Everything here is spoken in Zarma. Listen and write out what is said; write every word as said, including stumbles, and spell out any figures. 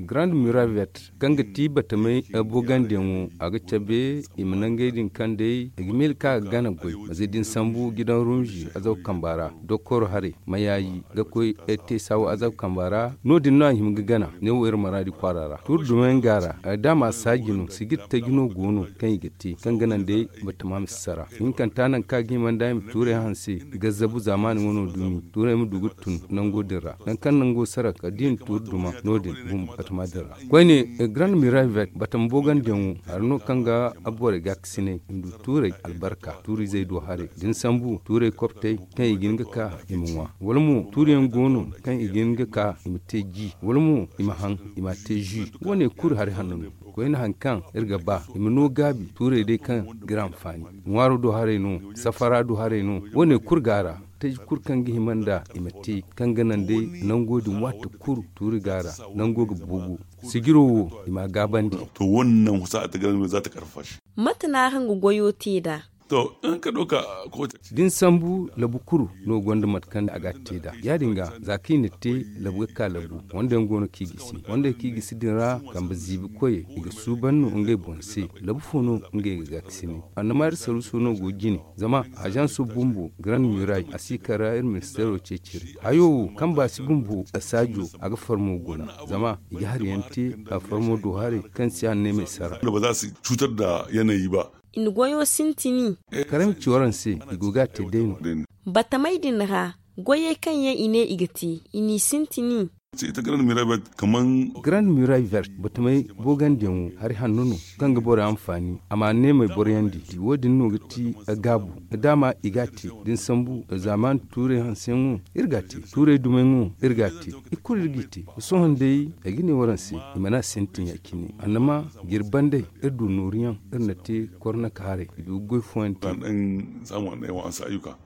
Grand Muraille Vert, kaŋ ga ti batamey bogandiyaŋo, a ga cabe i ma nangey din kaŋ day i ga miila ka ga gana goy, ma zay da ni sambu gidan rumzi azab kamba ra, dokoro haray ma yaayi ga koy te saawa azab kamba ra. No- din no a hima ga gana ne wo iri maraadi kwaara ra tuuri dumey nga ra. Da a ma saaji no sijir taji no go no kaŋ i ga te kaŋ ga naŋ day batama ma si sara. Hinkanta nangu kaŋ a ga hima nda i ma tuurey hanse gazzabu zaamaani wano dumi tuurey ma du ga tun nango din ra nangu kaŋ nango sara kala da i na tuuri duma no- din bumbo batama din ra. Koyne, grand miravet batama boogandiyaŋo hari no kaŋ ga borey gaakasinay i ma du tuurey albarka tuurizey do haray da ni sambu tuurey koptey kaŋ i ga hin ga ka i ma ŋwa wala mo tuuriyaŋ go no kaŋ i ga hin ga ka i ma te ji wala mo i ma haŋ i ma a te zi. Wo- ne kulu hari hanno no. Koyne hari kaŋ iri ga ba i ma no gaabi tuurey day kaŋ ga iri anfaani ŋwaaro do haray no, safara do haray no. Wo- ne kulu go a ra. Taji kulu kaŋ ga hima nda i ma te kaŋ ga naŋ day nango din waati kulu tuuri go a ra. Nango ga boobo sijiro wo i ma a gaabandi. To wo- ne naŋ husa a ta garan za ta karfa shi. Mate no araŋ ga goyo te nd'a? To, in ka ɗauka kowace. Da ni sambu labu kulu no gonda mate kaŋ a ga a te nd'a ya- din ga za kaŋ i na te labu ga ka labu wanda yaŋ go no kaŋ i gisi wanda yaŋ kaŋ i gisi din ra kambe ziibi koyey i ga suuban no ngey boŋ se. Labu fo no ngey ga gaakasinay annama iri saruuso no go jine. Zama ajanso bumbo grand muray a si kar ra iri ministeero ceeciri hayo wo kaŋ ba si bumbo saajo a ga farmo guna. Zama i ga hari yaŋ te a farmo do haray kaŋ si hanne ma ay sara. Wanda ba za su cutar da yanayi ba. I na goyo sintini. Karaŋ ci waraŋ se i go ga a te day no. Batamey din ra goyey kaŋ yaŋ i ne i ga te i n'i sintini. Ita grand miravet kaman. Grand miravet batamey boogandiyaŋo hari hanno no kaŋ ga borey anfaani a ma a neemey boroyandi. Wo- din no ga ti gaabu. Da a ma i ga a te da ni sambu zaamaani tuurey hanseyaŋo iri ga a te tuurey dumayŋo iri ga a te. I kulu iri g'i te. Sohõ day ay ga ne waraŋ se i mana a sintin ya- cine annama jiri bandey iri du nooruyaŋ iri na te kornaka haray i du ga goy fooyaŋ te. Samu a na ay wa a si ayyuka.